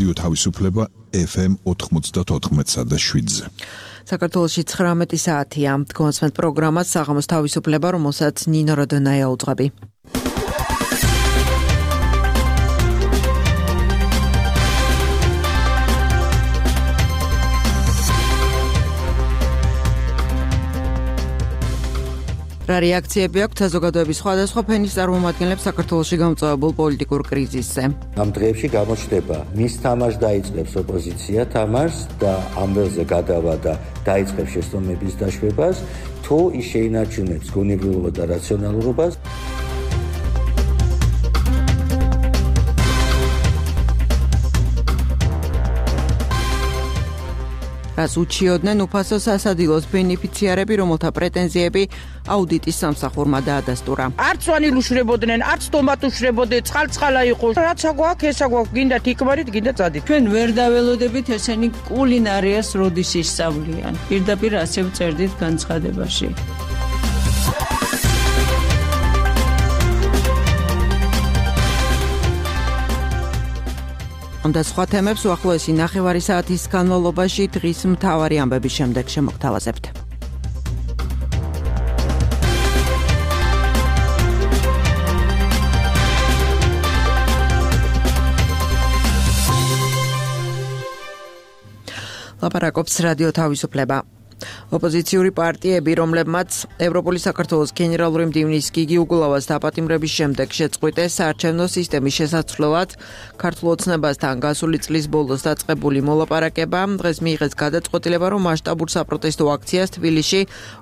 რადიო თავისუფლება FM 94.7-ზე. საქართველოში 19 საათია. გონსმენთ პროგრამას საღამოს თავისუფლება, რომელსაც ნინო როდონაია უძღვები. რა რეაქციები აქვს საზოგადოების სხვადასხვა ფენის წარმომადგენლებს საქართველოში გამწვავებულ პოლიტიკურ კრიზისზე? ამ დღეებში გამოჩნდება, მის თამაშს დაიწყებს ოპოზიცია თამაშს და ამ ველზე გადავა და დაიწყებს შეცდომების დაშვებას, თუ ის შეინარჩუნებს გონებრივობა და რაციონალურობას. რას უჩიოდნენ უფასო სასადილოს ბენეფიციარები, რომელთა პრეტენზიები აუდიტის სამსახურმა დაადასტურა. არც ვანილ უშრებოდნენ, არც ტომატ უშრებოდნენ, წყალ-წყალა იყო. რაც აგვაქვს, ეს აგვაქვს, გინდა თიკმარით, გინდა წადით. ჩვენ ვერ დაველოდებით ესენი კულინარიას როდის ისწავლიან. პირდაპირ ასე ვწერდით განცხადებაში. ამ და სხვა თემებს უახლოესი ნახევარი საათის განმავლობაში დღის მთავარი ამბების შემდეგ შემოგთავაზებთ. ლაპარაკობს რადიო თავისუფლება. ოპოზიციური პარტიები, რომლებმაც ევროპული საქართველოს გენერალური მდივნის გიგი უგულავას დაპატიმრების შემდეგ შეწყვიტეს საარჩევნო სისტემის შესაცვლელად ქართულ ოცნებასთან გასული წლის ბოლოს დაწყებული მოლაპარაკება, დღეს მიიღეს გადაწყვეტილება, რომ მასშტაბურ საპროტესტო აქციას თბილისში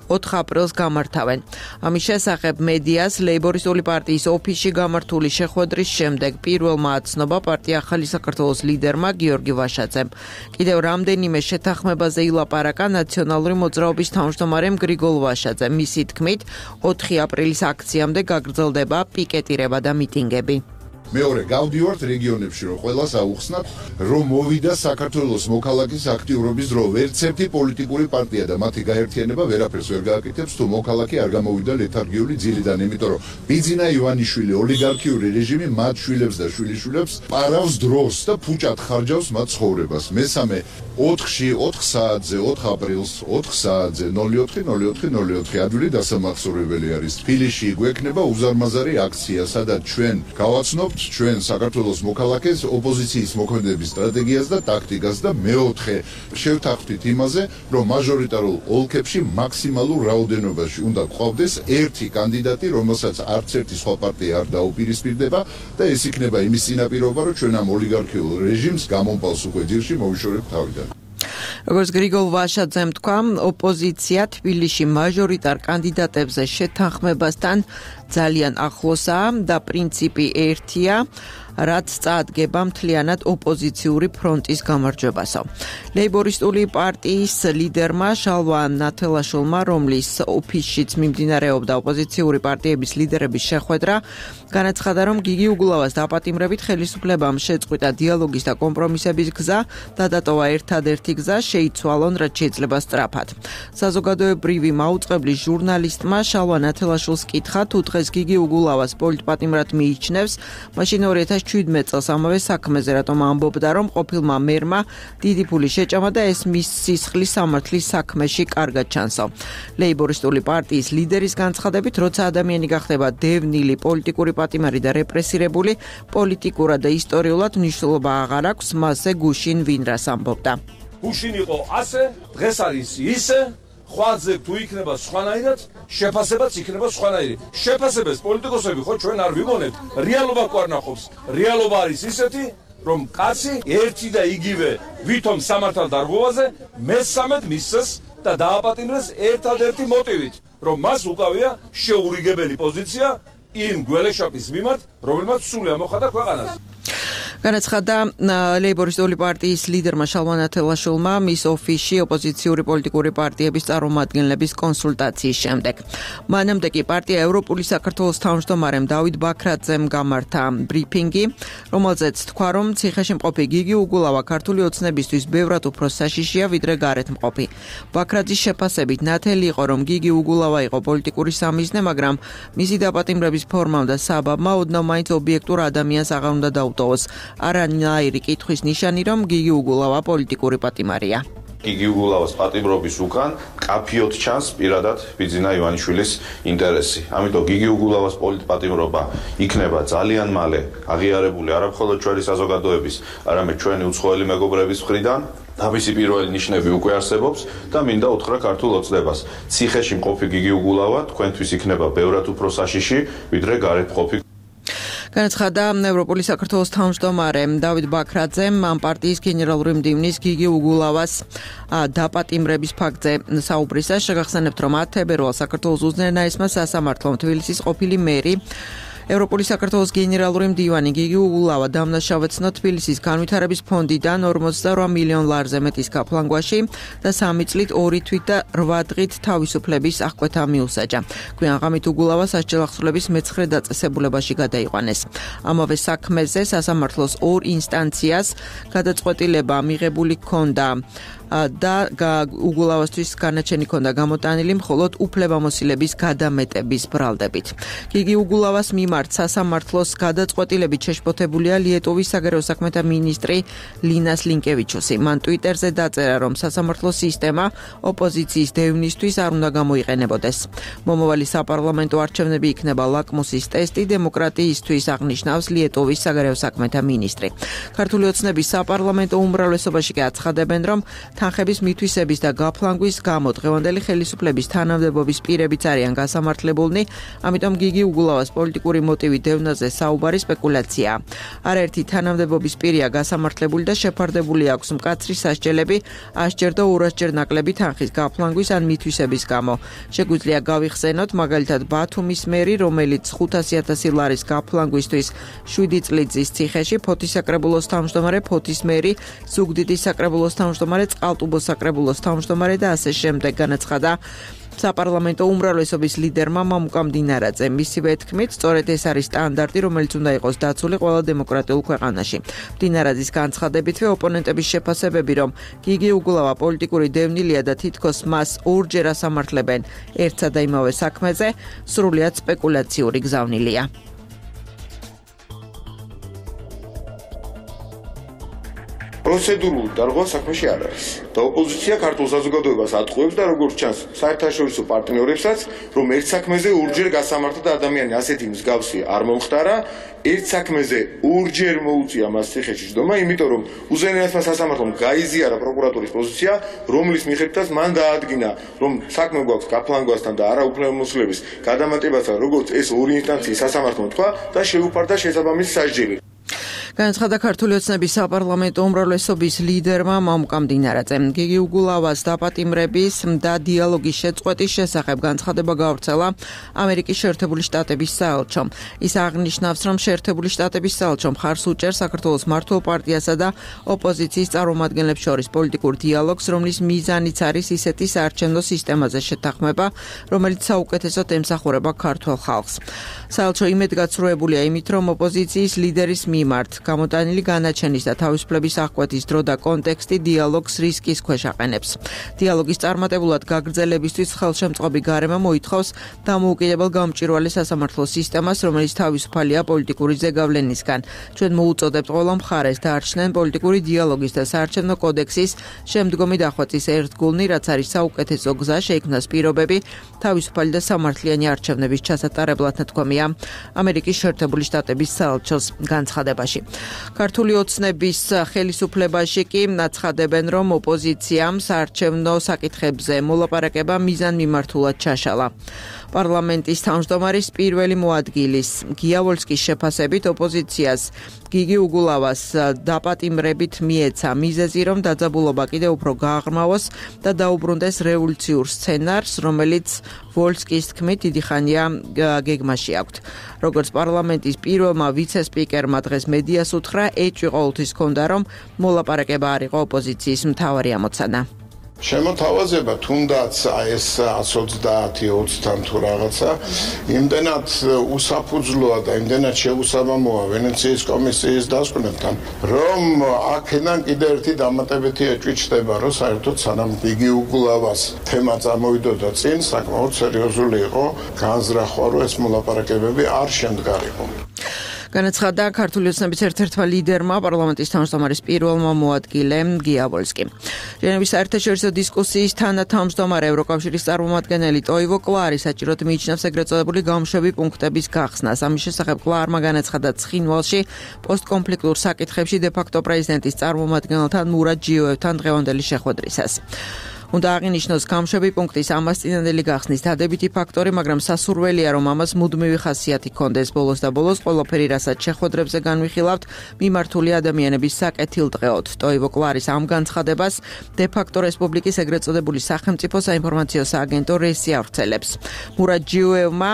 4 აპრილს გამართავენ. ამის შესახებ მედიას ლეიბორისტული პარტიის ოფისში გამართული შეხვედრის შემდეგ პირველმა აცნობა პარტია ახალი საქართველოს ლიდერმა გიორგი ვაშაძემ. კიდევ რამდენიმე შეთანხმებაზე ილაპარაკა ნაციონალური მოძრაობის თავმჯდომარემ გრიგოლ ვაშაძემ. მისი თქმით, 4 აპრილის აქციამდე გაგრძელდება პიკეტირება და მიტინგები. მეორე გავდივართ რეგიონებში, რომ ყველას აუხსნათ, რომ მოვიდა საქართველოს მოქალაქის აქტიურობის დრო. ვერც ერთი პოლიტიკური პარტია და მათი გაერთიანება ვერაფერს ვერ გააკეთებს, თუ მოქალაქე არ გამოვიდა ლეთარგიული ძილიდან, იმიტომ რომ ბიძინა ივანიშვილი ოლიგარქიული რეჟიმი მათ შვილებს და შვილიშვილებს პარავს დროს და ფუჭად ხარჯავს მათ ცხოვრებას. მესამე 4-ში 4 საათზე 4 აპრილს 4 საათზე 04:04:04 ადვილი დასამახსოვრებელი არის. თბილისში გვექნება უზარმაზარი აქცია, სადაც ჩვენ გავაცნობთ ჩვენ საქართველოს მოქალაქეს ოპოზიციის მოქმედების სტრატეგიას და ტაქტიკას და მეოთხე შევთანხმდით იმაზე, რომ მაჟორიტარულ ოლქებში მაქსიმალურ რაოდენობაში უნდა გვყავდეს ერთი კანდიდატი, რომელსაც არც ერთი სხვა პარტია არ დაუპირისპირდება და ეს იქნება იმის წინაპირობა, რომ ჩვენ ამ ოლიგარქიულ რეჟიმს გამომპალს უკვე ძირში მოვიშორებთ თავიდან. როგორც გრიგოლ ვაშაძემ თქვა, ოპოზიცია თბილისში მაჟორიტარ კანდიდატებზე შეთანხმებასთან ძალიან ახლოსაა და პრინციპი ერთია, რაც წაადგება მთლიანად ოპოზიციური ფრონტის გამარჯვებასო. ლეიბორისტული პარტიის ლიდერმა შალვა ნათელაშვილმა, რომლის ოფისშიც მიმდინარეობდა ოპოზიციური პარტიების ლიდერების შეხვედრა, განაცხადა, რომ გიგი უგულავას დაპატიმრებით ხელისუფლებამ შეწყვიტა დიალოგის და კომპრომისების გზა და დატოვა ერთადერთი გზა, შეიცვალონ, რაც შეიძლება სწრაფად. საზოგადოებრივი მაუწყებლის ჟურნალისტმა შალვა ნათელაშვილს კითხა, თუ დღეს გიგი უგულავას პოლიტპატიმრად მიიჩნევს, მაშინ 2017 წელს ამავე საქმეზე რატომ ამბობდა, რომ ყოფილმა მერმა დიდი ფული შეჭამა და ეს მის სისხლის სამართლის საქმეში კარგად ჩანსო. ლეიბორისტული პარტიის ლიდერის განცხადებით, როცა ადამიანი გახდება დევნილი, პოლიტიკური პატიმარი და რეპრესირებული, პოლიტიკურად და ისტორიულად მნიშვნელობა აღარ აქვს, მასზე გუშინ ვინ რას ამბობდა. გუშინ იყო ასე, დღეს არის ისე, ხვაზე თუ იქნება სხვანაირად, შეფასებაც იქნება სხვანაირი. შეფასებას პოლიტიკოსები ხო ჩვენ არ ვიმონებთ, რეალობა გვარნახობს. რეალობა არის ისეთი, რომ კაცი ერთი და იგივე ვითომ სამართალ დარღვევაზე მესამედ მისცეს და დააპატიმრეს ერთადერთი მოტივით, რომ მას უკავია შეურიგებელი პოზიცია იმ გველეშაპის მიმართ, რომელმაც სული ამოხადა ქვეყანას. განაცხადა ლეიბორისტული პარტიის ლიდერმა შალვა ნათელაშვილმა მის ოფისში ოპოზიციური პოლიტიკური პარტიების წარმომადგენლების კონსულტაციის შემდეგ. მანამდე კი პარტია ევროპული საქართველოს თავმჯდომარემ დავით ბაქრაძემ გამართა ბრიფინგი, რომელზეც თქვა, რომ ციხეში გიგი უგულავა ქართული ოცნებისთვის ბევრად უფრო საშიშია, ვიდრე გარეთ მყოფი. ბაქრაძის შეფასებით ნათელი იყო, რომ გიგი უგულავა იყო პოლიტიკური სამიზნე, მაგრამ მისი დაპატიმრების ფორმამ და საბაბმა ოდნავ მაინც ობიექტურ ადამიანს აღარ უნდა დაუტოვოს. არანაირი კითხვის ნიშანი, რომ გიგი უგულავა პოლიტიკური პატიმარია. გიგი უგულავას პატიმრობის უკან კაფიოდ ჩანს პირადად ბიძინა ივანიშვილის ინტერესი. ამიტომ გიგი უგულავას პოლიტპატიმრობა იქნება ძალიან მალე აღიარებული არა მხოლოდ ჩვენი საზოგადოების, არამედ ჩვენი უცხოელი მეგობრების მხრიდან. თავისი პირველი ნიშნები უკვე არსებობს და მინდა უთხრა ქართულ ოცნებას. ციხეში მყოფი გიგი უგულავა თქვენთვის იქნება ბევრად უფრო საშიში, ვიდრე გარეთ მყოფი. განაცხადა ევროპული საქართველოს თავმჯდომარე დავით ბაქრაძემ ამ პარტიის გენერალური მდივნის გიგი უგულავას დაპატიმრების ფაქტზე საუბრისას. შეგახსენებთ, რომ 10 თებერვალს საქართველოს უზენაესმა სასამართლომ თბილისის ყოფილი მერი ევროპული საქართველოს გენერალური მდივანი გიგი უგულავა დამნაშავეცნო თბილისის განვითარების ფონდიდან 48 მილიონ ლარზე მეტის გაფლანგვაში და 3 წლით 2 თვით და 8 დღით თავისუფლების აღკვეთა მიუსაჯა. გვიანღამით უგულავას სასჯელახსრულების მე-9 დაწესებულებაში გადაიყვანეს. ამავე საქმეზე სასამართლოს 2 ინსტანციას გადაწყვეტილება მიღებული ჰქონდა და უგულავასთვის განაჩენი ჰქონდა გამოტანილი მხოლოდ უფლებამოსილების გადამეტების ბრალდებით. გიგი უგულავას მიმართ სასამართლოს გადაწყვეტილებით შეშფოთებულია ლიეტოვის საგარეო საქმეთა მინისტრი ლინას ლინკევიჩუსი. მან ტვიტერზე დაწერა, რომ სასამართლოს სისტემა ოპოზიციის დევნისთვის არ უნდა გამოიყენებოდეს. მომავალი საპარლამენტო არჩევნები იქნება ლაკმუსის ტესტი დემოკრატიისთვის, აღნიშნავს ლიეტოვის საგარეო საქმეთა მინისტრი. ქართული ოცნების საპარლამენტო უმრავლესობაში კი აცხადებენ, რომ თანხების მითვისების და გაფლანგვის გამო დღევანდელი ხელისუფლების თანამდებობის პირებიც არიან გასამართლებულნი, ამიტომ გიგი უგულავას პოლიტიკური მოტივი დევნაზე საუბარი სპეკულაციაა. არაერთი თანამდებობის პირია გასამართლებული და შეფარდებული აქვს მკაცრი სასჯელები 100-ჯერ და 200-ჯერ ნაკლები თანხის გაფლანგვის ან მითვისების გამო. შეგვიძლია გავიხსენოთ მაგალითად ბათუმის მერი, რომელიც 500,000 ლარის გაფლანგვისთვის 7 წლით ზის ციხეში, ფოთის საკრებულოს თავმჯდომარე, ფოთის მერი, ზუგდიდის საკრებულოს თავმჯდომარე, წყალტუბოს საკრებულოს თავმჯდომარე და ასე შემდეგ. განაცხადა საპარლამენტო უმრავლესობის ლიდერმა მამუკა მდინარაძე. მისივე თქმით, სწორედ ეს არის სტანდარტი, რომელიც უნდა იყოს დაცული ყველა დემოკრატიულ ქვეყანაში. მდინარაძის განცხადებითვე ოპონენტების შეფასებები, რომ გიგი უგულავა პოლიტიკური დევნილია და თითქოს მას 2-ჯერ ასამართლებენ ერთსა და იმავე საქმეზე, სრულიად სპეკულაციური გზავნილია. პროცედურული დარღვა საქმეში არ არის და ოპოზიცია ქართულ საზოგადოებას ატყუებს და როგორც ჩანს საერთაშორისო პარტნიორებსაც, რომ ერთ საქმეზე 2-ჯერ გასამართლა და ადამიანი ასეთი მსგავსი არ მომხდარა, ერთ საქმეზე 2-ჯერ მოუწია მას ციხეში ჯდომა, იმიტომ რომ უზენაესმა სასამართლომ გაიზიარა პროკურატურის პოზიცია, რომლის მიხედვითაც მან დაადგინა, რომ საქმე გვაქვს გაფლანგვასთან და არაუფლებამოსილების გადამატებასთან, როგორც ეს 2 ინსტანციის სასამართლომ თქვა და შეუფარდა შესაბამისი სასჯელი. განაცხადა ქართული ოცნების საპარლამენტო უმრავლესობის ლიდერმა მამუკა მდინარაძემ. გიგი უგულავას დაპატიმრების და დიალოგის შეწყვეტის შესახებ განცხადება გავრცელა ამერიკის შეერთებული შტატების საელჩომ. ის აღნიშნავს, რომ შეერთებული შტატების საელჩო მხარს უჭერს საქართველოს მმართველ პარტიასა და ოპოზიციის წარმომადგენლებს შორის პოლიტიკურ დიალოგს, რომლის მიზანიც არის ისეთი საარჩევნო სისტემაზე შეთანხმება, რომელიც საუკეთესოდ ემსახურება ქართულ ხალხს. საელჩო იმედგაცრუებულია იმით, რომ ოპოზიციის ლიდერის მიმართ გამოტანილი განაჩენის და თავისუფლების აღკვეთის დრო და კონტექსტი დიალოგს რისკის ქვეშ აყენებს. დიალოგის წარმატებულად გაგრძელებისთვის ხელშემწყობი გარემო მოითხოვს დამოუკიდებელ გამჭვირვალე სასამართლო სისტემას, რომელიც თავისუფალია პოლიტიკური ზეგავლენისგან. ჩვენ მოუწოდებთ ყველა მხარეს დაარჩნენ პოლიტიკური დიალოგის და საარჩევნო კოდექსის შემდგომი დახვეწის ერთგულნი, რაც არის საუკეთესო გზა შეიქმნას პირობები თავისუფალი და სამართლიანი არჩევნების ჩასატარებლად, ნათქვამია ამერიკის შეერთებული შტატების საელჩოს განცხადებაში. ქართული ოცნების ხელისუფლებაში კი აცხადებენ, რომ ოპოზიციამ საარჩევნო საკითხებზე მოლაპარაკება მიზანმიმართულად ჩაშალა. პარლამენტის თავმჯდომარის პირველი მოადგილის გია ვოლსკის შეფასებით ოპოზიციას გიგი უგულავას დაპატიმრებით მიეცა მიზეზი, რომ დაძაბულობა კიდევ უფრო გააღრმავოს და დაუბრუნდეს რევოლუციურ სცენარს, რომელიც ვოლსკის თქმით დიდი ხანია გეგმაში აქვთ. როგორც პარლამენტის პირველმა ვიცე-სპიკერმა დღეს მედიას უთხრა, ეჭვი ყოველთვის ჰქონდა, რომ მოლაპარაკება არ იყო ოპოზიციის მთავარი ამოცანა. შემოთავაზება თუნდაც ეს 130-20-თან თუ რაღაცა იმდენად უსაფუძვლოა და იმდენად შეუსაბამოა ვენეციის კომისიის დასკვნებთან, რომ აქედან კიდე ერთი დამატებითი ეჭვი ჩნდება, რომ საერთოდ სანამ გიგი უგულავას თემა წამოვიდოდა წინ, საკმაოდ სერიოზული იყო განზრახვა, რომ ეს მოლაპარაკებები არ შემდგარიყო. განაცხადა ქართული ოცნების ერთ-ერთმა ლიდერმა პარლამენტის თავმჯდომარის პირველმა მოადგილემ გია ვოლსკიმ. ჟენევის საერთაშორისო დისკუსიის თანათავმჯდომარე ევროკავშირის წარმომადგენელი ტოივო კლარი საჭიროდ მიიჩნევს ეგრეთ წოდებული გამშვები პუნქტების გახსნას. ამის შესახებ კლარმა განაცხადა ცხინვალში პოსტკონფლიქტურ საკითხებში დე-ფაქტო პრეზიდენტის წარმომადგენელთან მურად ჯიოევთან დღევანდელი შეხვედრისას. უნდა აღინიშნოს გამშვები პუნქტის ამას წინანდელი გახსნის დადებითი ფაქტორი, მაგრამ სასურველია, რომ ამას მუდმივი ხასიათი ჰქონდეს. ბოლოს და ბოლოს ყველაფერი, რასაც შეხვედრებზე განვიხილავთ, მიმართული ადამიანების საკეთილდღეოდ. ტოივო კლარის ამ განცხადებას დე-ფაქტო რესპუბლიკის ეგრეთ წოდებული სახელმწიფო საინფორმაციო სააგენტო რესი ავრცელებს. მურად ჯიოევმა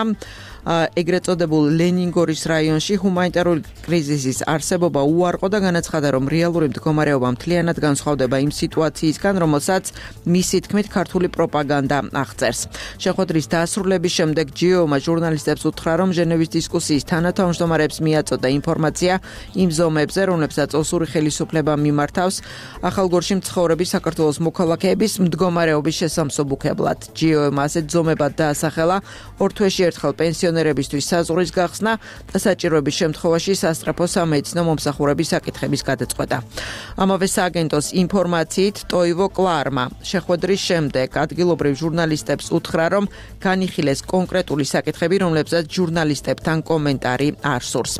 ეგრეთ წოდებულ ლენინგორის რაიონში ჰუმანიტარული კრიზისის არსებობა უარყო და განაცხადა, რომ რეალური მდგომარეობა მთლიანად განსხვავდება იმ სიტუაციისგან, რომელსაც მისი თქმით ქართული პროპაგანდა აღწერს. შეხვედრის დასრულების შემდეგ ჯიოევმა ჟურნალისტებს უთხრა, რომ ჟენევის დისკუსიის თანათავმჯდომარებს მიაწოდა ინფორმაცია იმ ზომებზე, რომლებსაც ოსური ხელისუფლება მიმართავს ახალგორში მცხოვრები საქართველოს მოქალაქეების მდგომარეობის შესამსუბუქებლად. ჯიოევმა ასეთ ზომებად დაასახელა ორ თვეში ერთხელ პენსიონერებისთვის საზღვრის გახსნა და საჭიროების შემთხვევაში სასწრაფო სამედიცინო მომსახურების საკითხების გადაწყვეტა. ამავე სააგენტოს ინფორმაციით ტოივო კლარმა შეხვედრის შემდეგ ადგილობრივ ჟურნალისტებს უთხრა, რომ განიხილეს კონკრეტული საკითხები, რომლებსაც ჟურნალისტებთან კომენტარი არ სურს.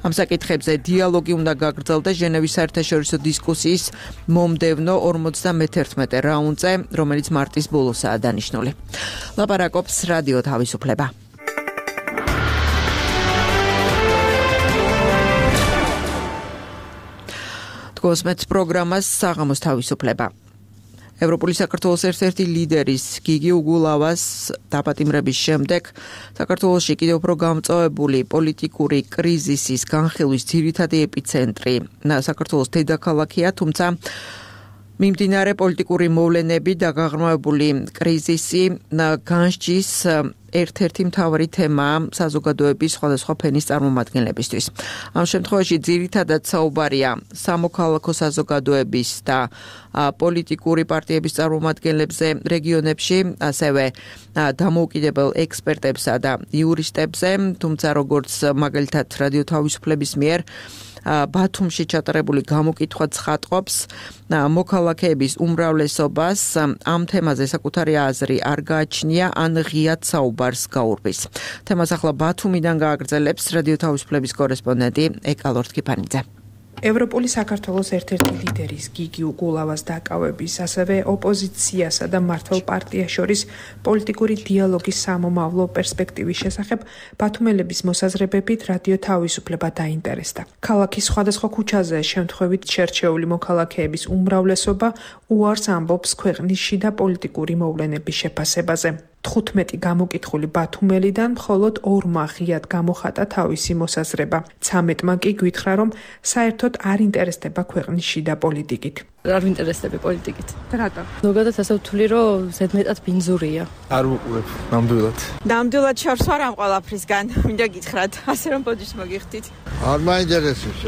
ამ საკითხებზე დიალოგი უნდა გაგრძელდეს ჟენევის საერთაშორისო დისკუსიის მომდევნო 51 რაუნდზე, რომელიც მარტის ბოლოსაა დანიშნული. ლაპარაკობს რადიო თავისუფლება. კოსმეტს პროგრამას საღამოს თავისუფლება. ევროპული საქართველოს ერთ-ერთი ლიდერის გიგი უგულავას დაპატიმრების შემდეგ საქართველოში კიდევ უფრო გამწვავებული პოლიტიკური კრიზისის განხილვის ძირითადი ეპიცენტრი საქართველოს დედაქალაქია, თუმცა მიმდინარე პოლიტიკური მოვლენები და გაღრმავებული კრიზისი განსჯის ერთ-ერთი მთავარი თემაა საზოგადოების სხვადასხვა ფენის წარმომადგენლებისთვის. ამ შემთხვევაში ძირითადად საუბარია სამოქალაქო საზოგადოების და პოლიტიკური პარტიების წარმომადგენლებზე რეგიონებში, ასევე დამოუკიდებელ ექსპერტებსა და იურისტებზე, თუმცა როგორც მაგალითად რადიო თავისუფლების მიერ ბათუმში ჩატარებული გამოკითხვა ცხადყოფს, მოქალაქეების უმრავლესობას ამ თემაზე საკუთარი აზრი არ გააჩნია ან ღიად საუბარს გაურბის. თემას ახლა ბათუმიდან გააგრძელებს რადიო თავისუფლების კორესპონდენტი ეკალორთ კიფანიძე. ევროპული საქართველოს ერთ-ერთი ლიდერის გიგი უგულავას დაკავების, ასევე ოპოზიციასა და მმართველ პარტიას შორის პოლიტიკური დიალოგის სამომავლო პერსპექტივის შესახებ ბათუმელების მოსაზრებებით რადიო თავისუფლება დაინტერესდა. ქალაქის სხვადასხვა ქუჩაზე შემთხვევით შერჩეული მოქალაქეების უმრავლესობა უარს ამბობს ქვეყნის შიდა პოლიტიკური მოვლენების შეფასებაზე. 15 გამოკითხული ბათუმელიდან მხოლოდ 2-მა ღიად გამოხატა თავისი მოსაზრება. 13-მა კი გითხრა, რომ საერთოდ არ ინტერესდება ქვეყნის შიდა პოლიტიკით. არ ვინტერესდები პოლიტიკით. რატო? ზოგადად ასე ვთვლი, რომ ზედმეტად ბინძურია. არ ვუყურებ, ნამდვილად. ნამდვილად შორს ვარ ამ ყველაფრისგან. მინდა გითხრათ, ასე რომ პოდიშ მოგიხდით. არ მაინტერესებს,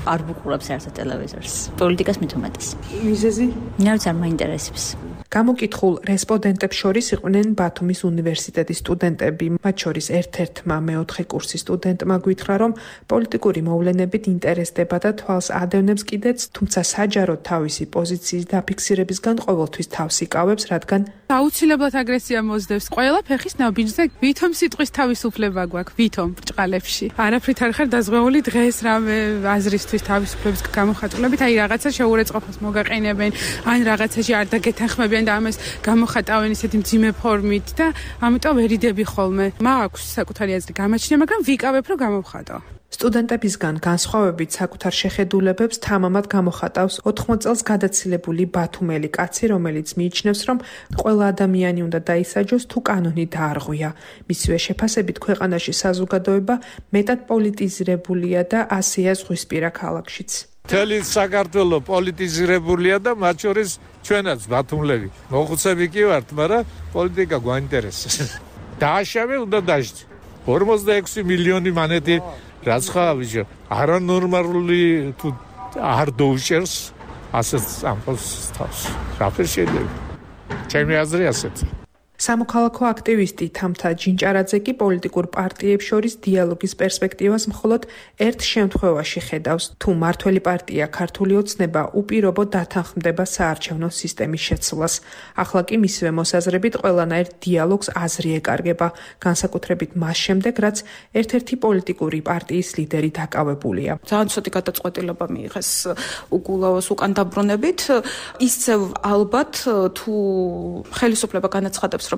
არ ვუყურებ საერთოდ ტელევიზორს. პოლიტიკას მithumetes. მიზეზი? ნაირად არ მაინტერესებს. გამოკითხულ რესპონდენტებს შორის იყვნენ ბათუმის უნივერსიტეტის სტუდენტები, მათ შორის ერთ-ერთმა მეოთხე კურსის სტუდენტმა გითხრა, რომ პოლიტიკური მოვლენებით ინტერესდება და თვალს ადევნებს კიდეც, თუმცა საჯაროდ თავისი პოზიციის დაფიქსირებისგან ყოველთვის თავს იკავებს, რადგან აუცილებლად აგრესია მოსდევს ყველა ფეხის ნაბიჯზე. ვითომ სიტყვის თავისუფლება გვაქვს, ვითომ ბრჭყალებში. არაფრით არ ხარ დაზღვეული დღეს რამე აზრისთვის თავისუფლების გამოხატულებით, აი რაღაცა შეურაცხყოფას მოგაყენებენ, ან რაღაცაში არ დაგეთანხმებიან და ამას გამოხატავენ ისეთი მძიმე ფორმით და ამიტომ ვერიდები ხოლმე. მაქვს საკუთარი აზრი გამაჩნია, მაგრამ ვიკავებ რომ გამოვხატო. სტუდენტებისგან განსხვავებით საკუთარ შეხედულებებს თამამად გამოხატავს 80 წელს გადაცილებული ბათუმელი კაცი, რომელიც მიიჩნევს, რომ ყველა ადამიანი უნდა დაისაჯოს თუ კანონი დაარღვია. მისივე შეფასებით ქვეყანაში საზოგადოება მეტად პოლიტიზირებულია და ასეა ზღვისპირა ქალაქშიც. მთელი საქართველო პოლიტიზირებულია და მათ შორის ჩვენაც ბათუმლები. მოხუცები კი ვართ, მაგრამ პოლიტიკა გვაინტერესებს. დააშავე უნდა დაждე. 46 მილიონი მანეთი რაც ხაა ბიჭო, არანორმალური თუ არ დაუჭერს ასეთ სამყაროს თავს. რაფერ შეიძლება? ჩემი აზრი ასეთი. სამოქალაქო აქტივისტი თამთა ჯინჭარაძე კი პოლიტიკურ პარტიებს შორის დიალოგის პერსპექტივას მხოლოდ ერთ შემთხვევაში ხედავს, თუ მართველი პარტია ქართული ოცნება უპირობოდ დათანხმდება საარჩევნო სისტემის შეცვლას. ახლა კი მისივე მოსაზრებით ყველანაირ დიალოგს აზრი ეკარგება, განსაკუთრებით მას შემდეგ, რაც ერთ-ერთი პოლიტიკური პარტიის ლიდერი დაკავებულია. ძალიან ცოტი გადაწყვეტილება მიიღეს უგულავას უკან დაბრუნებით. ისევ ალბათ თუ ხელისუფლება განაცხადებს, რომ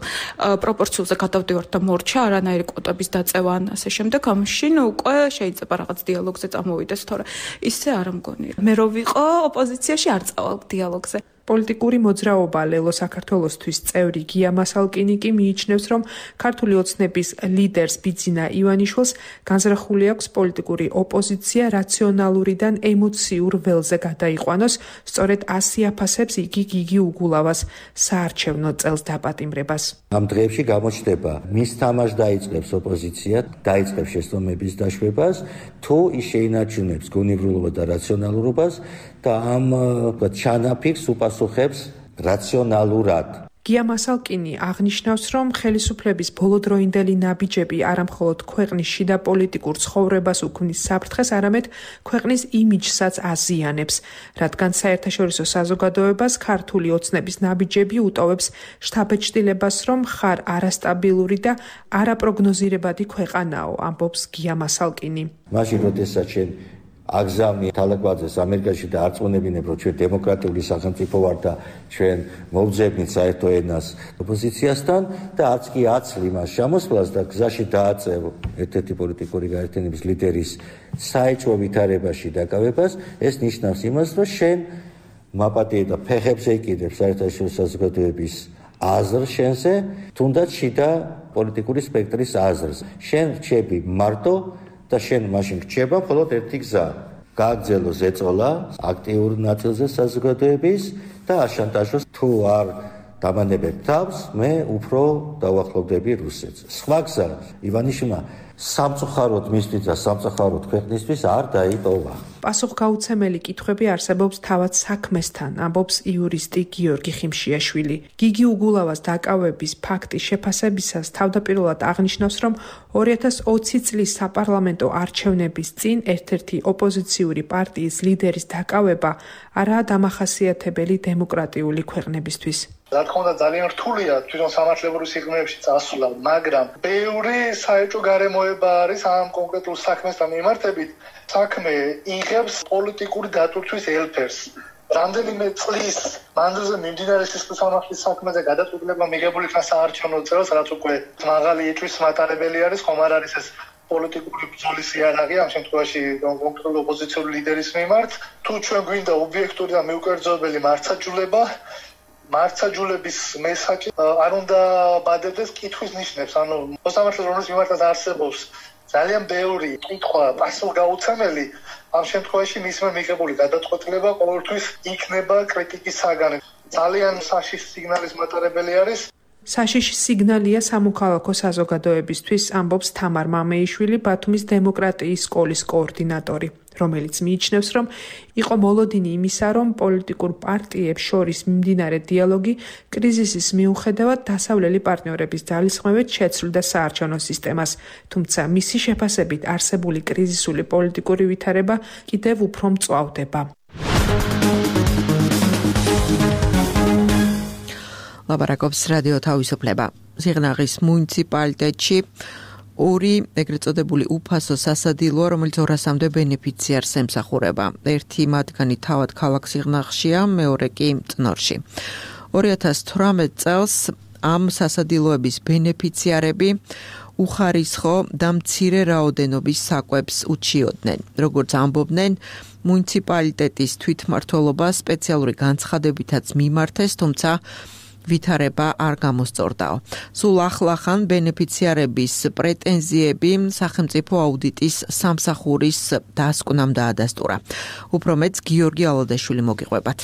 პროპორციულზე გადავდივართ და მორჩა არანაირი კვოტების დაწევა ან ასე შემდეგ, ამაშინ უკვე შეიძლება რაღაც დიალოგზე წამოვიდეს, თორე ისე არ მგონია. მე რო ვიყო ოპოზიციაში არ წავალ დიალოგზე. პოლიტიკური მოძრაობა ლელო საქართველოსთვის წევრი გია მასალკინი კი მიიჩნევს, რომ ქართული ოცნების ლიდერს ბიძინა ივანიშვილს განზრახული აქვს პოლიტიკური ოპოზიცია რაციონალურიდან ემოციურ ველზე გადაიყვანოს, სწორედ ასე აფასებს იგი გიგი უგულავას საარჩევნო წელს დაპატიმრებას. ამ დღეებში გამოჩნდება მის თამაშს დაიწყებს ოპოზიცია, დაიწყებს შეცდომების დაშვებას, თუ ის შეინარჩუნებს გონებრივობა და რაციონალურობას და ამ ჩანაფიქრს უპასუხებს რაციონალურად. გია მასალკინი აღნიშნავს, რომ ხელისუფლების ბოლოდროინდელი ნაბიჯები არა მხოლოდ ქვეყნის შიდა პოლიტიკურ ცხოვრებას უქმნის საფრთხეს, არამედ ქვეყნის იმიჯსაც აზიანებს, რადგან საერთაშორისო საზოგადოებას ქართული ოცნების ნაბიჯები უტოვებს შთაბეჭდილებას, რომ ხარ არასტაბილური და არაპროგნოზირებადი ქვეყანაო, ამბობს გია მასალკინი. მაშინ როდესაც შენ აგზავნი თალაკვაძეს ამერიკაში და არწმუნებინებ, რომ ჩვენ დემოკრატიული სახელმწიფო ვარ და ჩვენ მოვძებნით საერთო ენას ოპოზიციასთან და არც კი აცლი მას ჩამოსვლას და გზაში დააწევ ერთ-ერთი პოლიტიკური გაერთიანების ლიდერის საეჭვო ვითარებაში დაკავებას, ეს ნიშნავს იმას, რომ შენ მაპატიე და ფეხებზე იკიდებ საერთაშორისო საზოგადოების აზრს შენზე, თუნდაც შიდა პოლიტიკური სპექტრის აზრს. შენ რჩები მარტო და შენ მაშინ რჩება მხოლოდ ერთი გზა. გააგრძელო ზეწოლა აქტიურ ნაწილზე საზოგადოების და აშანტაჟოს, თუ არ დამანებებ თავს, მე უფრო დავახლოვდები რუსეთს. სხვა გზა ივანიშვილმა სამწუხაროდ მისთვის და სამწუხაროდ ქვეყნისთვის არ დაიპოვა. პასუხგაუცემელი კითხვები არსებობს თავად საქმესთან, ამბობს იურისტი გიორგი ხიმშიაშვილი. გიგი უგულავას დაკავების ფაქტის შეფასებისას თავდაპირველად აღნიშნავს, რომ 2020 წლის საპარლამენტო არჩევნების წინ ერთ-ერთი ოპოზიციური პარტიის ლიდერის დაკავება არაა დამახასიათებელი დემოკრატიული ქვეყნებისთვის. რა თქმა უნდა, ძალიან რთულია თვითონ სამართლებრივ სიღრმეებში წასვლა, მაგრამ ბევრი საეჭვო გარემოება არის ამ კონკრეტულ საქმესთან მიმართებით. საქმე იღებს პოლიტიკური დატვირთვის ელფერს. რამდენიმე წლის მანძილზე მიმდინარე სისხლისამართლის საქმეზე გადაწყვეტილება მიღებული იქნა საარჩევნო წელს, რაც უკვე მაღალი ეჭვის მატარებელი არის, ხომ არ არის ეს პოლიტიკური ბრძოლის იარაღი ამ შემთხვევაში კონკრეტულ ოპოზიციური ლიდერის მიმართ. თუ ჩვენ გვინდა ობიექტური და მიუკერძოებელი მართლმსაჯულება, მართლმსაჯულების მესაჯი არ უნდა ბადებდეს კითხვის ნიშნებს, ანუ მოსამართლეს რომლის მიმართაც არსებობს ძალიან ბევრი კითხვა პასუხგაუცემელი, ამ შემთხვევაში მისმა მიღებული გადაწყვეტილება ყოველთვის იქნება კრიტიკის საგანი. ძალიან საშიში სიგნალის მატარებელი არის. საშიში სიგნალია სამოქალაქო საზოგადოებისთვის, ამბობს თამარ მამეიშვილი, ბათუმის დემოკრატიის სკოლის კოორდინატორი, რომელიც მიიჩნევს, რომ იყო მოლოდინი იმისა, რომ პოლიტიკურ პარტიებს შორის მიმდინარე დიალოგი კრიზისის მიუხედავად დასავლელი პარტნიორების ძალისხმევით შეცვლიდა საარჩევნო სისტემას, თუმცა მისი შეფასებით არსებული კრიზისული პოლიტიკური ვითარება კიდევ უფრო მწვავდება. ლაბარაკობს რადიო თავისუფლება. სიღნაღის მუნიციპალიტეტში ორი ეგრეთ წოდებული უფასო სასადილოა, რომელიც 200-მდე ბენეფიციარს ემსახურება. ერთი მათგანი თავად ქალაქ სიღნაღშია, მეორე კი წნორში. 2018 წელს ამ სასადილოების ბენეფიციარები უხარისხო და მცირე რაოდენობის საკვებს უჩიოდნენ. როგორც ამბობდნენ, მუნიციპალიტეტის თვითმმართველობა სპეციალური განცხადებითაც მიმართეს, თუმცა ვითარება არ გამოსწორდაო. სულ ახლახან ბენეფიციარების პრეტენზიები სახელმწიფო აუდიტის სამსახურის დასკვნამ დაადასტურა. უფრო მეტს გიორგი ალადაშვილი მოგიყვებათ.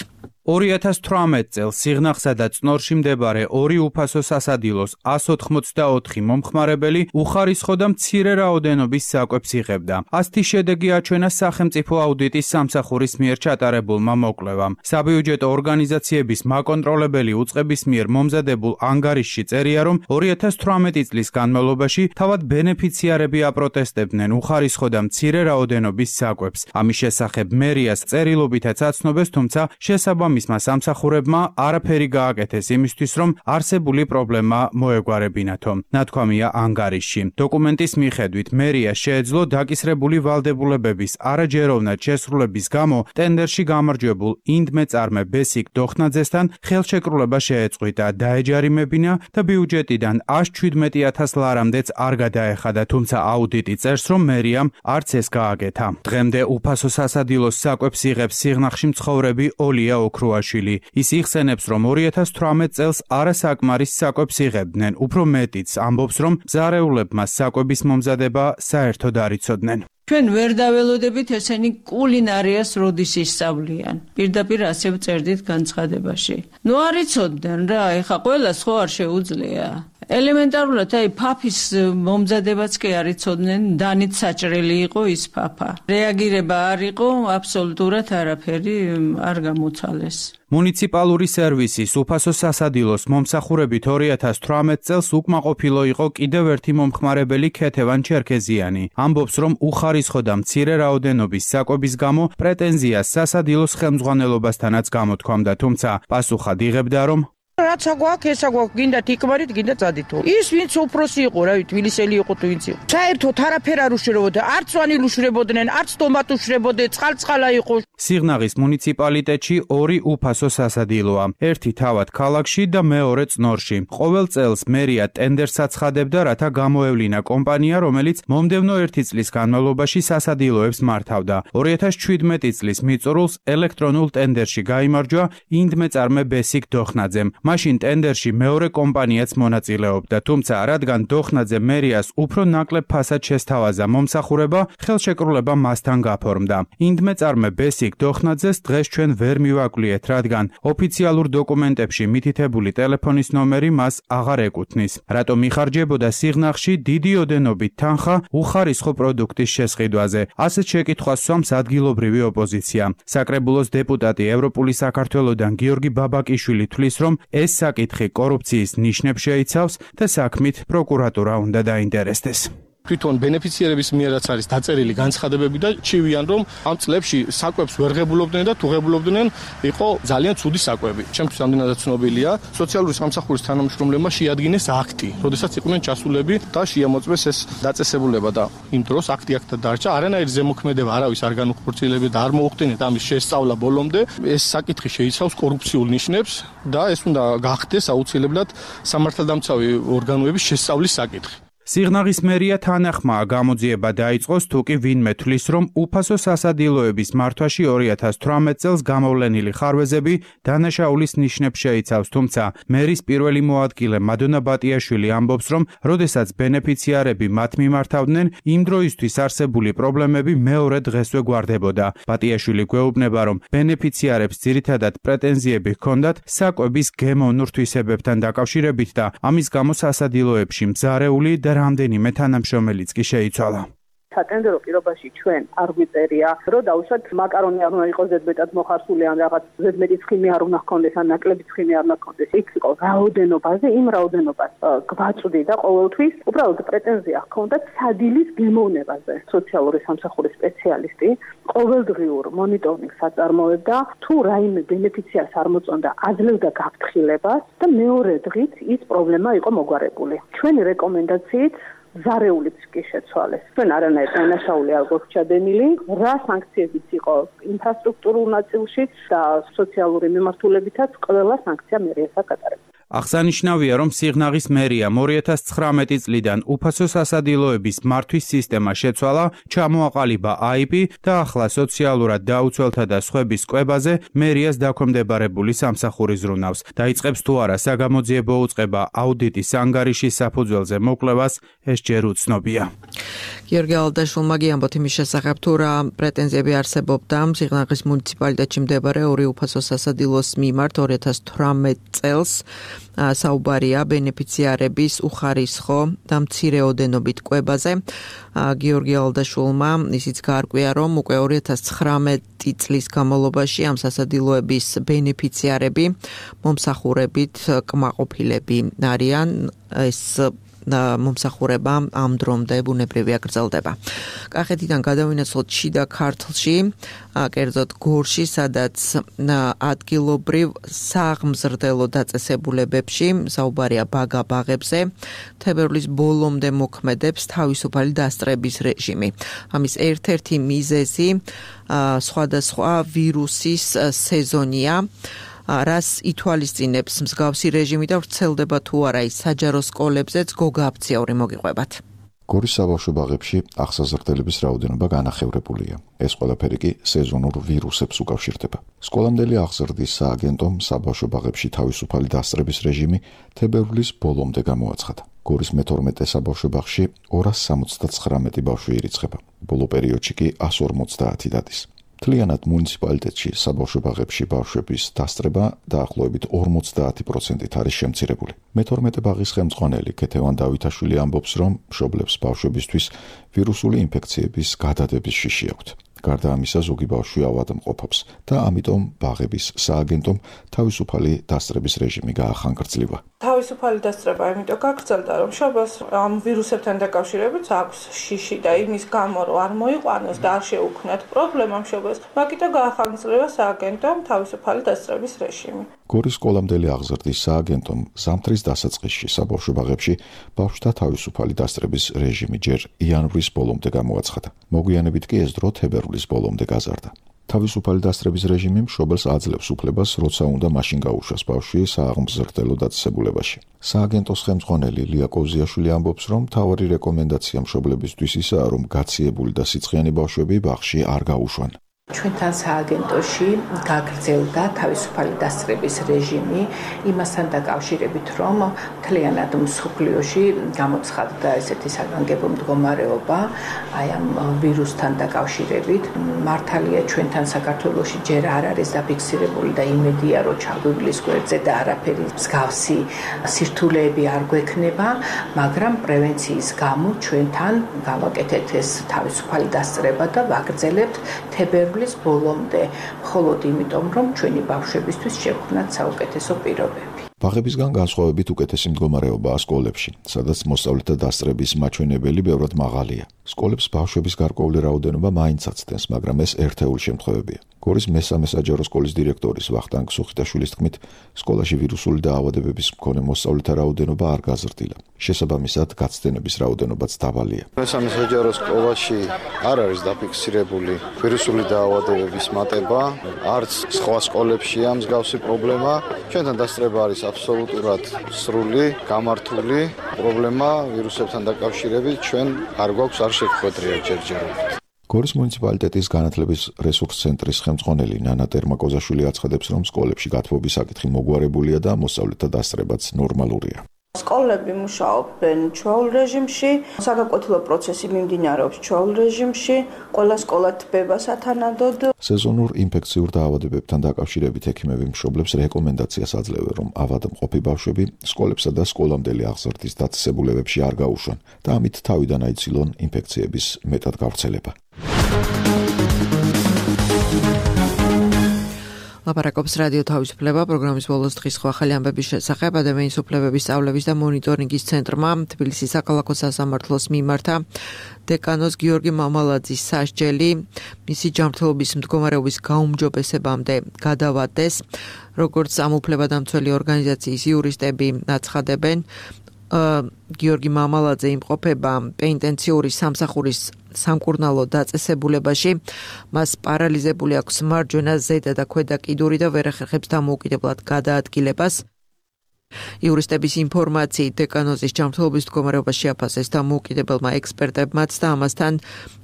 2018 წელს სიღნაღსა და წნორში მდებარე ორი უფასო სასადილოს 184 მომხმარებელი უხარისხო და მცირე რაოდენობის საკვებს იღებდა. ასეთი შედეგი აჩვენა სახელმწიფო აუდიტის სამსახურის მიერ ჩატარებულმა მოკვლევამ. საბიუჯეტო ორგანიზაციების მაკონტროლებელი უწყების მიერ მომზადებულ ანგარიშში წერია, რომ 2018 წლის განმავლობაში თავად ბენეფიციარები აპროტესტებდნენ უხარისხო და მცირე რაოდენობის საკვებს. ამის შესახებ მერიას წერილობითაც აცნობეს, თუმცა შესაბამისმა სამსახურებმა არაფერი გააკეთეს იმისთვის, რომ არსებული პრობლემა მოეგვარებინათო. ნათქვამია ანგარიშში. დოკუმენტის მიხედვით მერია შეეძლო დაკისრებული ვალდებულებების არაჯეროვნად შესრულების გამო ტენდერში გამარჯვებულ ინდმეწარმე ბესიკ დოხნაძესთან ხელშეკრულება შეეწყვიტა, დაეჯარიმებინა და ბიუჯეტიდან 117,000 ლარამდეც არ გადაეხადა, თუმცა აუდიტი წერს, რომ მერიამ არც ეს გააკეთა. დღემდე უფასო სასადილოს საკვებს იღებს სიღნაღში მცხოვრები ოლია ოქრუაშვილი. ის იხსენებს, რომ 2018 წელს არასაკმარის საკვებს იღებდნენ, უფრო მეტიც ამბობს, რომ მზარეულებმა საკვების მომზადება საერთოდ არ იცოდნენ. ჩვენ ვერ დაველოდებით ესენი კულინარიას როდის ისწავლიან. პირდაპირ ასე ვწერდით განცხადებაში. ნუ არ იცოდნენ რა, ეხა ყველას ხო არ შეუძლია. ელემენტარულად აი ფაფის მომზადებაც კი არ იცოდნენ, დანით საჭრელი იყო ის ფაფა. რეაგირება არ იყო, აბსოლუტურად არაფერი არ გამოცალეს. მუნიციპალური სერვისის უფასო სასადილოს მომსახურებით 2018 წელს უკმაყოფილო იყო კიდევ ერთი მომხმარებელი ქეთევან ჩერქეზიანი. ამბობს, რომ უხარისხო და მცირე რაოდენობის საკვების გამო პრეტენზიას სასადილოს ხელმძღვანელობასთანაც გამოთქვამდა, თუმცა პასუხად იღებდა, რომ რაცა გვაქვს, ესა გვაქვს, გინდა თიკმარით, გინდა წადითო. ის ვინც უფროსი იყო, რა ვიცი, თბილისელი იყო თუ ვინც იყო. საერთოდ არაფერ არ უშრებოდა, არც ვანილ უშრებოდნენ, არც ტომატ უშრებოდნენ, წყალ-წყალა იყო. სიღნაღის მუნიციპალიტეტში ორი უფასო სასადილოა, ერთი თავად ქალაქში და მეორე წნორში. ყოველ წელს მერია ტენდერს აცხადებდა, რათა გამოევლინა კომპანია, რომელიც მომდევნო 1 წლის განმავლობაში სასადილოებს მართავდა. 2017 წლის მიწურულს ელექტრონულ ტენდერში გაიმარჯვა ინდმეწარმე ბესიკ დოხნაძემ. მაშინ ტენდერში მეორე კომპანიაც მონაწილეობდა, თუმცა რადგან დოხნაძე მერიას უფრო ნაკლებ ფასად შესთავაზა მომსახურება, ხელშეკრულება მასთან გაფორმდა. ინდმეწარმე ბესიკ დოხნაძეს დღეს ჩვენ ვერ მივაკვლიეთ, რადგან ოფიციალურ დოკუმენტებში მითითებული ტელეფონის ნომერი მას აღარ ეკუთვნის. რატომ იხარჯებოდა სიღნაღში დიდი ოდენობით თანხა უხარისხო პროდუქტის შესყიდვაზე? ასეთ შეკითხვას სვამს ადგილობრივი ოპოზიცია. საკრებულოს დეპუტატი ევროპული საქართველოდან გიორგი ბაბაკიშვილი თვლის, რომ ეს საკითხი კორუფციის ნიშნებს შეიცავს და საქმით პროკურატურა უნდა დაინტერესდეს. თვითონ ბენეფიციარების მიერაც არის დაწერილი განცხადებები და ჩივიან, რომ ამ წლებში საკვებს ვერ ღებულობდნენ და თუ ღებულობდნენ, იყო ძალიან ცუდი საკვები. ჩემთვის ამდენადაც ცნობილია, სოციალური სამსახურის თანამშრომლებმა შეადგინეს აქტი, როდესაც იყვნენ ჩასულები და შეამოწმეს ეს დაწესებულება და იმ დროს აქტი აქეთ დარჩა, არანაირი ზემოქმედება არავის არ განუხორციელებია და არ მოუხდენიათ ამის შესწავლა ბოლომდე. ეს საკითხი შეიცავს კორუფციულ ნიშნებს და ეს უნდა გახდეს აუცილებლად სამართალდამცავი ორგანოების შესწავლის საკითხი. სიღნაღის მერია თანახმაა გამოძიება დაიწყოს, თუ კი ვინმე თვლის, რომ უფასო სასადილოების მართვაში 2018 წელს გამოვლენილი ხარვეზები დანაშაულის ნიშნებს შეიცავს, თუმცა მერის პირველი მოადგილე მადონა ბატიაშვილი ამბობს, რომ როდესაც ბენეფიციარები მათ მიმართავდნენ, იმ დროისთვის არსებული პრობლემები მეორე დღესვე გვარდებოდა. ბატიაშვილი გვეუბნება, რომ ბენეფიციარებს ძირითადად პრეტენზიები ჰქონდათ საკვების გემოვნურ თვისებებთან დაკავშირებით და ამის გამო სასადილოებში მზარეული და რამდენიმე თანამშრომელიც კი შეიცვალა. სატენდერო პირობაში ჩვენ არ გვიწერია, რომ დავუშვათ მაკარონი არ უნდა იყოს ზედმეტად მოხარსული ან რაღაც ზედმეტი ცხიმი არ უნდა ჰქონდეს ან ნაკლები ცხიმი არ უნდა ჰქონდეს. იქ იყო რაოდენობაზე, იმ რაოდენობას გვაწვდი და ყოველთვის უბრალოდ პრეტენზია ჰქონდა სადილის გემოვნებაზე. სოციალური სამსახურის სპეციალისტი ყოველდღიურ მონიტორინგს აწარმოებდა, თუ რაიმე ბენეფიციარს არ მოწონდა, აძლევდა გაფრთხილებას და მეორე დღით ის პრობლემა იყო მოგვარებული. ჩვენი რეკომენდაციით ზარეულიც კი შეცვალეს. ჩვენ არანაირ დანაშაული არ გვაქვს ჩადენილი, რა სანქციებიც იყო ინფრასტრუქტურულ ნაწილში და სოციალური მიმართულებითაც ყველა სანქცია მერიას აკატარებს. აღსანიშნავია, რომ სიღნაღის მერიამ 2019 წლიდან უფასო სასადილოების მართვის სისტემა შეცვალა, ჩამოაყალიბა IP და ახლა სოციალურად დაუცველთა და სხვების კვებაზე მერიას დაქვემდებარებული სამსახური ზრუნავს. დაიწყებს თუ არა საგამოძიებო უწყება აუდიტის ანგარიშის საფუძველზე მოკვლევას, ეს ჯერ უცნობია. გიორგი ალდაშვილმა გიამბოთ იმის შესახებ, თუ რა პრეტენზიები არსებობდა სიღნაღის მუნიციპალიტეტში მდებარე ორი უფასო სასადილოს მიმართ 2018 წელს. საუბარია ბენეფიციარების უხარისხო და მცირეოდენობით კვებაზე. გიორგი ალდაშვილმა ისიც გაარკვია, რომ უკვე 2019 წლის განმავლობაში ამ სასადილოების ბენეფიციარები მომსახურებით კმაყოფილები არიან. ეს მომსახურება ამ დრომდე ბუნებრივია გრძელდება. კახეთიდან გადავინაცვლოთ შიდა ქართლში, კერძოდ გორში, სადაც ადგილობრივ სააღმზრდელო დაწესებულებებში საუბარია ბაგა-ბაღებზე, თებერვლის ბოლომდე მოქმედებს თავისუფალი დასწრების რეჟიმი. ამის ერთ-ერთი მიზეზი სხვადასხვა ვირუსის სეზონია. რას ითვალისწინებს მსგავსი რეჟიმი და ვრცელდება თუ არა ის საჯარო სკოლებზეც გოგა აფციაური მოგიყვებათ. გორის საბავშვო ბაღებში აღსაზრდელების რაოდენობა განახევრებულია. ეს ყველაფერი კი სეზონურ ვირუსებს უკავშირდება. სკოლამდელი აღზრდის სააგენტომ საბავშვო ბაღებში თავისუფალი დასწრების რეჟიმი თებერვლის ბოლომდე გამოაცხადა. გორის მე-12 საბავშვო ბაღში 279 ბავშვი ირიცხება. ბოლო პერიოდში კი 150 დადის. მთლიანად მუნიციპალიტეტში საბავშვო ბაღებში ბავშვების დასწრება დაახლოებით 50% არის შემცირებული. მე-12 ბაღის ხელმძღვანელი ქეთევან დავითაშვილი ამბობს, რომ მშობლებს ბავშვებისთვის ვირუსული ინფექციების გადადების შიში აქვთ. გარდა ამისა, ზოგი ბავშვი ავადმყოფობს და ამიტომ ბაღების სააგენტომ თავისუფალი დასწრების რეჟიმი გაახანგრძლივა. თავისუფალი დასწრება იმიტომ გაგრძელდა, რომ მშობელს ამ ვირუსებთან დაკავშირებით აქვს შიში და იმის გამო რომ არ მოიყვანოს და არ შეუქმნათ პრობლემა მშობელს, მაგიტომ გაახანგრძლივა სააგენტომ თავისუფალი დასწრების რეჟიმი. გორის სკოლამდელი აღზრდის სააგენტომ ზამთრის დასაწყისში საბავშვო ბაღებში ბავშვთა თავისუფალი დასწრების რეჟიმი ჯერ იანვრის ბოლომდე გამოაცხადა. მოგვიანებით კი ეს დრო თებერვლის ბოლომდე გაზარდა. თავისუფალი დასწრების რეჟიმი მშობელს აძლევს უფლებას, როცა უნდა მაშინ გაუშვას ბავშვი სააღმზრდელო დაწესებულებაში. სააგენტოს ხელმძღვანელი ლია კოზიაშვილი ამბობს, რომ მთავარი რეკომენდაცია მშობლებისთვის ისაა, რომ გაციებული და სიცხიანი ბავშვები ბაღში არ გაუშვან. ჩვენთან სააგენტოში გაგრძელდა თავისუფალი დასწრების რეჟიმი იმასთან დაკავშირებით, რომ მთლიანად მსოფლიოში გამოცხადდა ესეთი საგანგებო მდგომარეობა აი ამ ვირუსთან დაკავშირებით. მართალია ჩვენთან საქართველოში ჯერ არ არის დაფიქსირებული და იმედია, რომ ჩაგვივლის გვერდზე და არაფერი მსგავსი სირთულეები არ გვექნება, მაგრამ პრევენციის გამო ჩვენთან გავაკეთეთ ეს თავისუფალი დასწრება და ვაგრძელებთ თებერვლის ბოლომდე, მხოლოდ იმიტომ, რომ ჩვენი ბავშვებისთვის შევქმნათ საუკეთესო პირობები. ბაღებისგან განსხვავებით უკეთესი მდგომარეობაა სკოლებში, სადაც მოსწავლეთა დასწრების მაჩვენებელი ბევრად მაღალია. სკოლებს ბავშვების გარკვეული რაოდენობა მაინც აცდენს, მაგრამ ეს ერთეული შემთხვევებია. გორის მე-3 საჯარო სკოლის დირექტორის ვახტანგ სუხიტაშვილის თქმით, სკოლაში ვირუსული დაავადებების მქონე მოსწავლეთა რაოდენობა არ გაზრდილა. შესაბამისად, გაცდენების რაოდენობაც დაბალია. მე-3 საჯარო სკოლაში არ არის დაფიქსირებული ვირუსული დაავადებების მატება, არც სხვა სკოლებშია მსგავსი პრობლემა. ჩვენთან დასწრება არის აბსოლუტურად სრული, გამართული პრობლემა ვირუსებთან დაკავშირებით ჩვენ არ გვაქვს არ შეგხვედრია ჯერჯერობით. გორის მუნიციპალიტეტის განათლების რესურს ცენტრის ხელმძღვანელი ნანა ტერმაკოზაშვილი აცხადებს, რომ სკოლებში გათბობის საკითხი მოგვარებულია და მოსწავლეთა დასწრებაც ნორმალურია. სკოლები მუშაობენ ჩვეულ რეჟიმში, საგაკვეთილო პროცესი მიმდინარეობს ჩვეულ რეჟიმში, ყველა სკოლა თბება სათანადოდ. სეზონურ ინფექციურ დაავადებებთან დაკავშირებით ექიმები მშობლებს რეკომენდაციას აძლევენ, რომ ავადმყოფი ბავშვები სკოლებსა და სკოლამდელი აღზრდის დაწესებულებებში არ გაუშვან და ამით თავიდან აიცილონ ინფექციების მეტად გავრცელება. ლაპარაკობს რადიო თავისუფლება პროგრამის ბოლოს დღის ახალი ამბების შესახებ. ადამიანის უფლებების სწავლების და მონიტორინგის ცენტრმა თბილისის საქალაქო სასამართლოს მიმართა დეკანოს გიორგი მამალაძის სასჯელი მისი ჯანმრთელობის მდგომარეობის გაუმჯობესებამდე გადავადეს. როგორც ამ უფლებადამცველი ორგანიზაციის იურისტები აცხადებენ, გიორგი მამალაძე იმყოფება პენიტენციური სამსახურის სამკურნალო დაწესებულებაში, მას პარალიზებული აქვს მარჯვენა, ზედა და ქვედა კიდური და ვერ ახერხებს დამოუკიდებლად გადაადგილებას. იურისტების ინფორმაციით დეკანოზის ჯანმრთელობის მდგომარეობა შეაფასეს დამოუკიდებელმა ექსპერტებმაც და ამასთან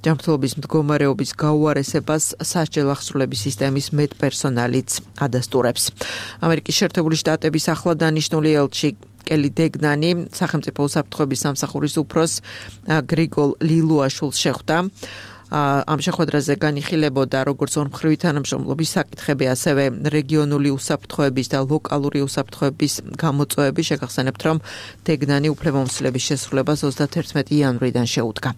ჯანმრთელობის მდგომარეობის გაუარესებას სასჯელ ახსრულების სისტემის მედპერსონალიც ადასტურებს. ამერიკის შეერთებული შტატების ახლად დანიშნული ელჩი კელი დეგნანი სახელმწიფო უსაფრთხოების სამსახურის უფროს გრიგოლ ლილუაშვილს შეხვდა. ამ შეხვედრაზე განიხილებოდა როგორც ორმხრივი თანამშრომლობის საკითხები, ასევე რეგიონული უსაფრთხოების და ლოკალური უსაფრთხოების გამოწვევები. შეგახსენებთ, რომ დეგნანი უფლებამოსილების შესრულებას 31 იანვრიდან შეუდგა.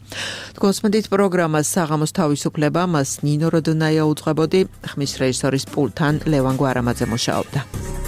თქვენსმენთ პროგრამას საღამოს თავისუფლება, მას ნინო როდონაია უძღვებოდი, ხმის რეჟისორის პულტთან ლევან გვარამაძე მუშაობდა.